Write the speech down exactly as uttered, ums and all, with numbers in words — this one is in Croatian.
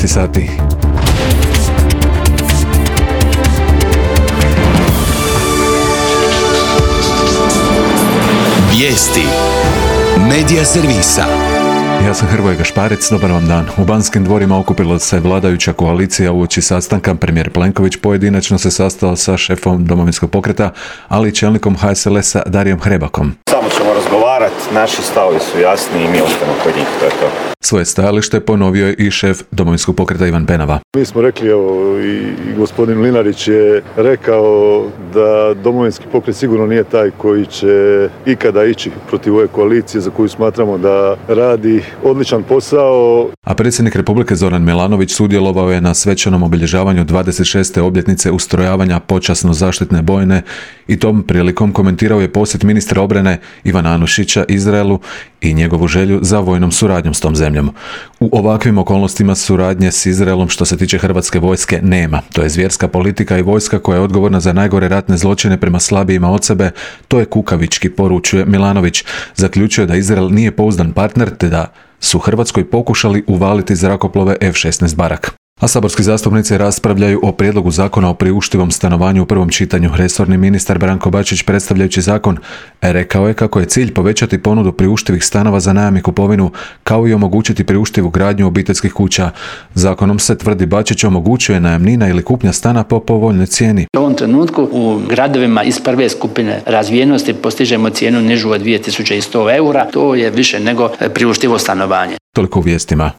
devetnaest sati. Vijesti Medija servisa. Ja sam Hrvoje Gašparec, dobar vam dan. U Banskim dvorima okupila se vladajuća koalicija uoči sastanka. Premijer Plenković pojedinačno se sastao sa šefom Domovinskog pokreta, ali i čelnikom H S L S-a Darijom Hrebakom. Samo ćemo razgovarati, naši stavovi su jasni i mi ostajemo kod njih, to je to. Svoje stajalište ponovio je i šef Domovinskog pokreta Ivan Penava. Mi smo rekli, evo, i, i gospodin Mlinarić je rekao da Domovinski pokret sigurno nije taj koji će ikada ići protiv ove koalicije za koju smatramo da radi odličan posao. A predsjednik Republike Zoran Milanović sudjelovao je na svečanom obilježavanju dvadeset šeste obljetnice ustrojavanja počasno zaštitne bojne i tom prilikom komentirao je posjet ministra obrane Ivana Anušića Izraelu i njegovu želju za vojnom suradnjom s tom zemljom. U ovakvim okolnostima suradnje s Izraelom što se tiče hrvatske vojske nema. To je zvjerska politika i vojska koja je odgovorna za najgore ratne zločine prema slabijima od sebe. To je kukavički, poručuje Milanović. Zaključuje da Izrael nije pouzdan partner te da su Hrvatskoj pokušali uvaliti zrakoplove F šesnaest Barak. A saborski zastupnici raspravljaju o prijedlogu zakona o priuštivom stanovanju u prvom čitanju. Resorni ministar Branko Bačić, predstavljajući zakon, rekao je kako je cilj povećati ponudu priuštivih stanova za najam i kupovinu, kao i omogućiti priuštivu gradnju obiteljskih kuća. Zakonom se, tvrdi Bačić, omogućuje najamnina ili kupnja stana po povoljnoj cijeni. U ovom trenutku u gradovima iz prve skupine razvijenosti postižemo cijenu nižu od dvije tisuće sto eura. To je više nego priuštivo stanovanje. Toliko u vijestima.